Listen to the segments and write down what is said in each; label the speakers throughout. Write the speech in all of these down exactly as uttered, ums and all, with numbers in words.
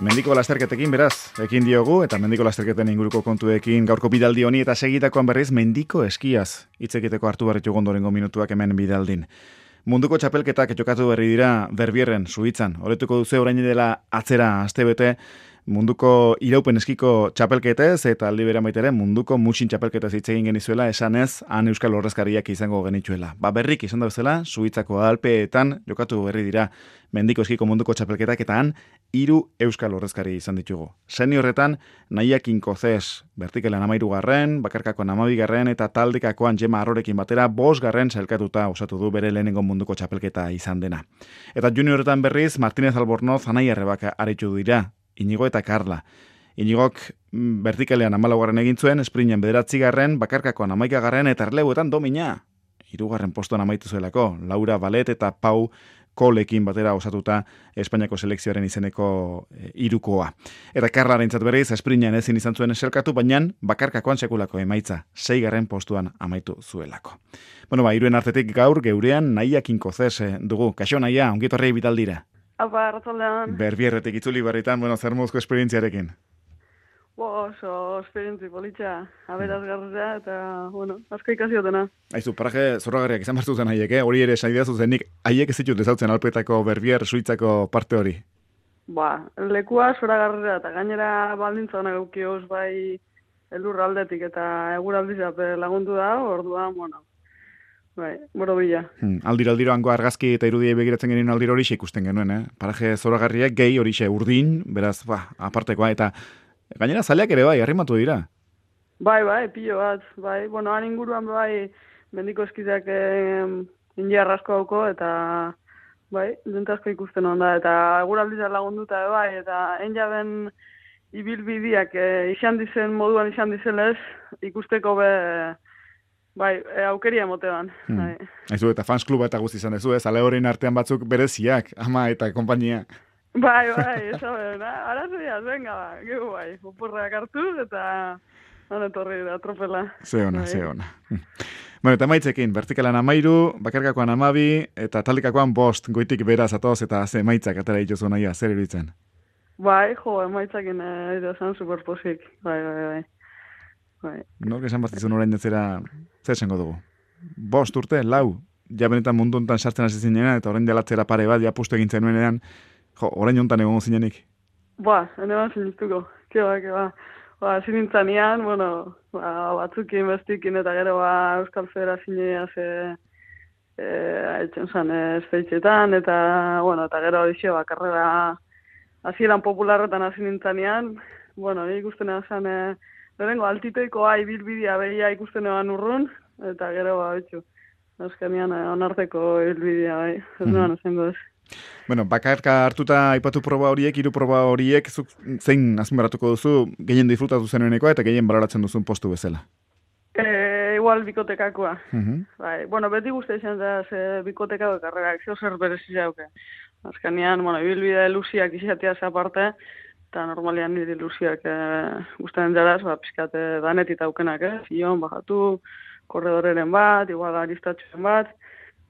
Speaker 1: Mendiko lasterketekin beraz, ekin diogu, eta mendiko lasterketen inguruko kontuekin gaurko bidaldi honi eta segitakoan berriz mendiko eskiaz. Hitz egiteko hartu barritu gondorengo minutuak hemen bidaldin. Munduko txapelketak jokatu berri dira Berbierren, Suitzan. Horretuko duzu orain dela atzera astebete munduko iraupen eskiko txapelketez eta aldi berean baita ere munduko mutxin txapelketez hitz egin genizuela esanez han euskal ordezkariak izango genituela. Ba berrik izan da bezala Suitzako Alpeetan jokatu berri dira mendiko eskiko munduko txapelketak eta han hiru euskal ordezkari izan ditugu. Seniorretan Naia Kinkozes, vertikalean hamairugarren, bakarkakoan hamabigarren eta taldekakoan Jema Arrorekin batera bosgarren sailkatuta osatu du bere lehenengo munduko txapelketa izan dena. Eta juniorretan berriz Martínez Albornoz Anai Arrebak aritu dira. Inigo eta Karla. Inigok vertikalean hamalaugarren egin zuen, esprinen bederatzigarren, bakarkakoan hamaikagarren eta erleuetan domina. Hirugarren postuan amaitu zuelako, Laura Balet eta Pau Kolekin batera osatuta Espainiako selekzioaren izeneko e, irukoa. Eta Karlarentzat berriz, esprinen ezin izan zuen eselkatu, baina bakarkakoan sekulako emaitza, seigarren postuan amaitu zuelako. Bueno, ba, hiruen artetik gaur geurean Naia Kinkozes dugu. Kaixo Naia, ongitorrei bitaldira.
Speaker 2: Apa, arratzaldean.
Speaker 1: Berbierretik itzuli barritan, bueno, zer mozko esperientziarekin?
Speaker 2: Bo, oso esperientzi politxa, aberazgarria eta, bueno, asko ikasiotena.
Speaker 1: Aizu, paraje zorragarriak izan bartu zen haiek, eh? Hori ere saidea zuzenik, haiek ez ditut ezautzen Alpetako Berbier Suitzako parte hori?
Speaker 2: Ba, lekua zoragarria eta gainera baldintzan eukioz bai elur aldetik eta eguraldizap lagundu da, orduan, bueno, bai, boro bila.
Speaker 1: Hmm, aldiro aldiro hango argazki eta irudiei begiratzen genien aldiro hori ikusten genuen, eh? Paraje zoragarriak gehi hori urdin, beraz, ba, apartekoa, eta gainera zaleak ere bai, arrimatu dira.
Speaker 2: Bai, bai, pilo bat, bai, bueno, han inguruan bai, mendiko eskizak eh, india arrasko hauko, eta bai, dentasko ikusten onda, eta eguraldizak lagunduta bai, eta enjaben ibilbideak eh, izan dizen moduan izan dizenez, ikusteko be... Bai, e, aukeria motean.
Speaker 1: Hmm.
Speaker 2: Bai.
Speaker 1: Aizu, eta fans kluba eta guzti izan dezu, ez? Ale horrein artean batzuk bereziak, ama eta kompainia.
Speaker 2: Bai, bai, ez da, arazoiaz, venga, ba, gego bai, oporrak hartu eta honetorri da, tropela.
Speaker 1: Ze ona,
Speaker 2: bai.
Speaker 1: ze ona. Bueno, eta maitzekin, vertikalan amairu, bakarkakoan amabi, eta taldekakoan bost, goitik beraz atoz, eta ze maitzak atera dituzu naia, zer iruditzen?
Speaker 2: Bai, jo, maitzakin edo zen superposik, bai, bai, bai. bai.
Speaker 1: Nork esan batizun orain detzera, zer esango dugu? Bost urte, lau, ja benetan mundu hontan sartzen hasi zinean, eta orain delatzera pare bat, ja pustu egin zenuenean, jo, orain hontan egongo zinenik.
Speaker 2: Ba, ene ban sinistuko, keba, keba. Ba, zinintzanean, bueno, ba, batzukin, bestikin, eta gero, ba, Euskal Federazioa ze, e, haitzen zan, espeitxetan, eta, bueno, eta gero, dixo, ba, karrera, hasieran popularretan hasi nintzanean, bueno, ikusten zan, e, lehenengo, altitoikoa ibilbidea behia ikusten eban urrun, eta gero, ba, bitxu, azkenean onarteko ibilbidea, bai, ez mm-hmm. Noan esango ez.
Speaker 1: Bueno, bakarka hartuta aipatu proba horiek, hiru proba horiek, zuk zein azpimarratuko duzu, gehien disfrutatu zenuenekoa eta gehien baloratzen duzun postu bezala?
Speaker 2: E, igual bikotekakoa.
Speaker 1: Mm-hmm.
Speaker 2: Bai, bueno, beti guzti izan da, ze bikotekako karrerak, zeo zer berezi jauke. Azkenean, bueno, ibilbide luziak izatea aparte, eta normalian nire ilusiak e, guztien jaraz, ba, pizkate danetit aukenak, eh? Zion, bajatu, korredoreren bat, igual aristatxuen bat,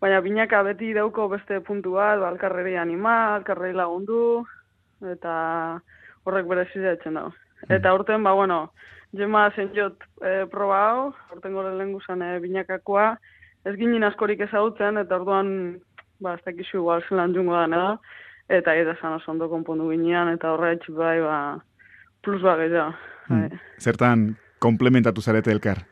Speaker 2: baina binaka beti dauko beste puntu bat, ba, alkarreri anima, alkarreri lagundu, eta horrek berezizia etxen dago. Eta urten, ba, bueno, Jema zenjot e, proba hau, urten gore lehen guzan e, binakakoa, ez ginen askorik ezagutzen, eta orduan, ba, ez dakizu igual zelan jungo da, edo, eta eta zan oso ondo konpondu ginean, eta horretx bai, ba, plus ba gehiago.
Speaker 1: Hmm. Zertan komplementatu zarete elkar?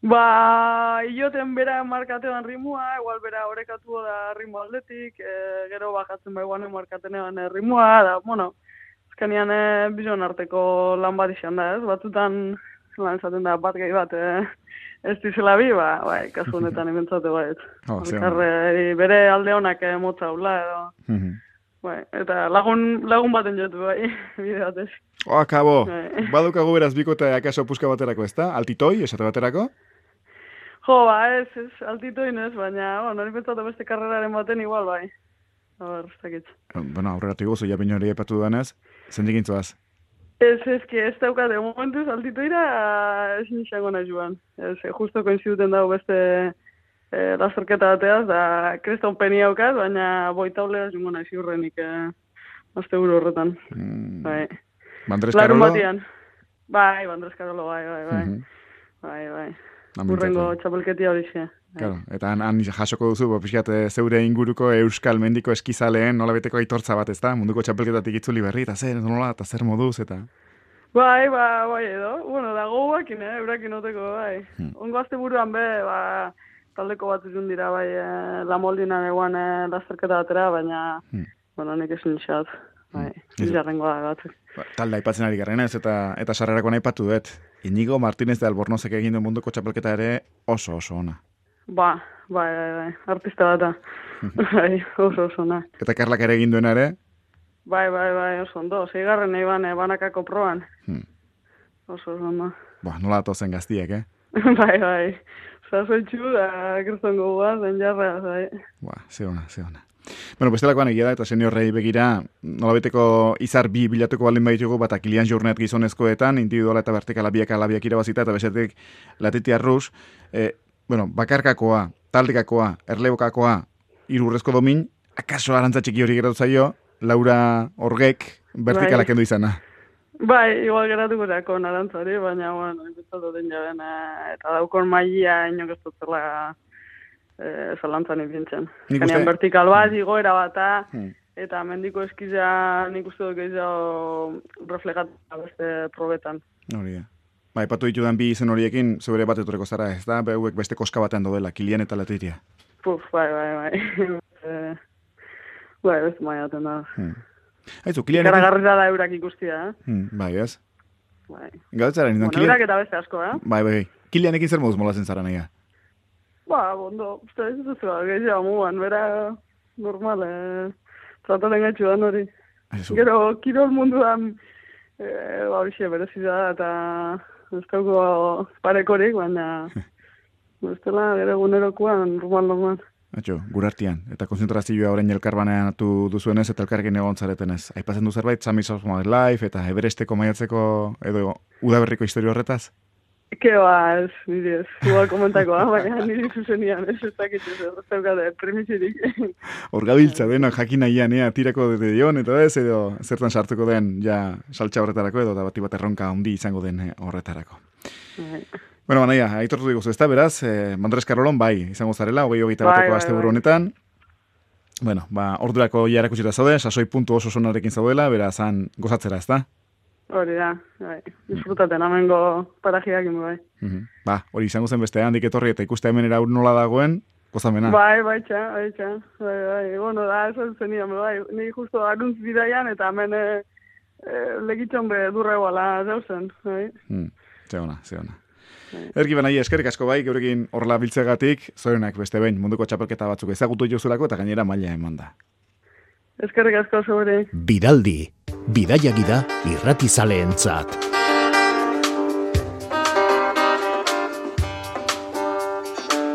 Speaker 2: Ba, ioten bera markatean rimua, igual bera orekatu da rimu aldetik, e, gero bajatzen bai guanen markatenean rimua, da, bueno, azkenean e, bizon arteko lan bat izan da, ez? Batzutan, lan esaten da, bat gehi bat, e, ez dizela bi, ba, bai, kasu honetan ementzate bai, oh, Alkarre, bere alde honak e, motza hula, edo, mm-hmm. Bai, eta lagun, lagun baten jotu, bai, bide batez.
Speaker 1: Oh, akabo, bai. Badukagu beraz bikote akaso puska baterako, ez da? Altitoi, esate baterako?
Speaker 2: Jo, ba, ez, ez, altitoin ez, baina, bueno, nori pentsatu beste karreraren baten igual, bai. Haber, ez dakit.
Speaker 1: Bueno, aurreratu gozu, ja baino hori epatu duanez, zendik intzuaz?
Speaker 2: Ez, ez, que ez daukate, momentuz altitoira ez nixango nahi joan. Ez, justo koinziduten dago beste e, lasterketa bateaz, da kreston peni haukaz, baina boitaulea jungo nahi ziurrenik e, azte buru horretan.
Speaker 1: Mm.
Speaker 2: Bai.
Speaker 1: Bandres
Speaker 2: Larun
Speaker 1: Karolo?
Speaker 2: batian. Bai, Bandres Karolo, bai, bai, bai.
Speaker 1: Mhm.
Speaker 2: Bai, bai.
Speaker 1: Amintzatu.
Speaker 2: Urrengo txapelketia hori xe.
Speaker 1: Claro, eta han, han jasoko duzu, bo, pixkat, eh, zeure inguruko euskal mendiko eskizaleen nola beteko aitortza bat, ezta? Munduko txapelketatik itzuli berri, eta zer, nola, eta zer moduz, eta...
Speaker 2: Bai, ba, bai edo. Bueno, dago guakin, eh, eurakin oteko, bai.
Speaker 1: Hmm.
Speaker 2: Ongo azte buruan be, ba, taldeko bat zuzun dira, bai, eh, La Moldinan eguan eh, lasterketa batera, baina,
Speaker 1: Hmm.
Speaker 2: bueno, nik esin xat, bai,
Speaker 1: Hmm.
Speaker 2: izarrengo da batzuk.
Speaker 1: Ba, talde aipatzen ari garrena ez, eta eta sarrerako aipatu dut. Inigo Martínez de Albornozek egin du munduko txapelketa ere oso oso ona.
Speaker 2: Ba, bai, bai, bai, artista bat da. Bai, oso oso na.
Speaker 1: Eta Karlak ere egin duena ere?
Speaker 2: Bai, bai, bai, oso ondo. Seigarren nahi ban, banakako proban.
Speaker 1: Hmm.
Speaker 2: Oso oso ondo.
Speaker 1: Ba, nola atozen gaztiek, eh?
Speaker 2: Bai, bai. Zazoitxu da, kristongo guaz, den jarra, bai.
Speaker 1: Ba, ze ona, ze ona. Bueno, bestelakoan egia da, eta seniorrei begira, nolabeteko izar bi bilatuko baldin baitugu, bata Kilian Jornet gizonezkoetan, individuala eta vertikala biak alabiak irabazita, eta besetik Latitia Rus, eh, bueno, bakarkakoa, taldekakoa, erlebokakoa, irurrezko domin, akaso arantza txiki hori geratu zaio, Laura Orgek vertikala kendu izana.
Speaker 2: Bai, igual geratuko erako narantzari, baina, bueno, entzatu den jaben, eh, eta daukon maia inok ez dutzela eh, zalantzan ipintzen.
Speaker 1: Nik
Speaker 2: Ganean
Speaker 1: uste-
Speaker 2: vertikal bat, igoera bata,
Speaker 1: Hmm.
Speaker 2: eta mendiko eskiza nik uste dut gehiago reflejatu beste probetan.
Speaker 1: Hori da. Ba, ipatu ditudan bi izen horiekin, zeure bat etoreko zara, ez da? Beuek beste koska batean daudela, Kilian eta Latitia.
Speaker 2: Puf, bai, bai, bai. Eh, bai, beste maia baten da.
Speaker 1: Hmm. Aizu, Kilian...
Speaker 2: Ikaragarria da eurak ikustia, eh?
Speaker 1: Hmm, bai, ez?
Speaker 2: Bai.
Speaker 1: Gautzaren,
Speaker 2: Bueno,
Speaker 1: Kilian...
Speaker 2: eurak eta beste asko, eh?
Speaker 1: Bai, bai, bai. Kilianekin zer moduz molazen zara nahi?
Speaker 2: Ba, bondo, uste ez ez zela, gehiago mugan, bera normal, eh, trataren gaitxu da hori.
Speaker 1: Aizu,
Speaker 2: Gero, kirol munduan, eh, ba, horixe berezi da, eta ez dauko parekorik, baina, ez dela, gero egunerokoan, normal, normal.
Speaker 1: atxo, gurartian, eta konzentrazioa orain elkarbanean atu duzuenez, eta elkarrekin egon zaretenez. Aipatzen du zerbait, Sami Sosmo Life, eta Everesteko maiatzeko, edo udaberriko historio horretaz?
Speaker 2: Ke ba, ez, niri ez, igual komentakoa, baina niri zuzenian, ez ez dakitzu, ez daukate, premisirik.
Speaker 1: Hor gabiltza dena jakin nahian, ea, tirako dute dion, eta ez, edo zertan sartuko den, ja, saltxa horretarako, edo da bati bat erronka handi izango den eh, horretarako.
Speaker 2: Bai.
Speaker 1: Bueno, banaia, aitortu diguzu, ez da, beraz, eh, Bandres Karolon, bai, izango zarela, hogei hogeita
Speaker 2: Bai,
Speaker 1: bateko
Speaker 2: bai,
Speaker 1: asteburu
Speaker 2: bai.
Speaker 1: honetan. Bueno, ba, ordurako ja erakutsita zaude, sasoi puntu oso sonarekin zaudela, beraz, han gozatzera, ez da?
Speaker 2: Hori da, bai, disfrutaten amengo parajiak bai.
Speaker 1: Mhm. Ba, hori izango zen beste handik etorri eta ikuste hemen era nola dagoen, gozamena.
Speaker 2: Bai, bai, txa, bai, txa, bai, bai, bueno, da, esan zenian, bai, ni justo aruntz bidaian, eta hemen e, e, legitxon be durra eguala zauzen, bai.
Speaker 1: Hmm, ze ona, ze ona.
Speaker 2: Bai.
Speaker 1: Erki benai, eskerrik asko bai, geurekin horrela biltzegatik, zorenak beste behin munduko txapelketa batzuk ezagutu jozulako eta gainera maila eman da.
Speaker 2: Eskerrik asko zure.
Speaker 3: Bidaldi, bidaiagi da irratizaleentzat.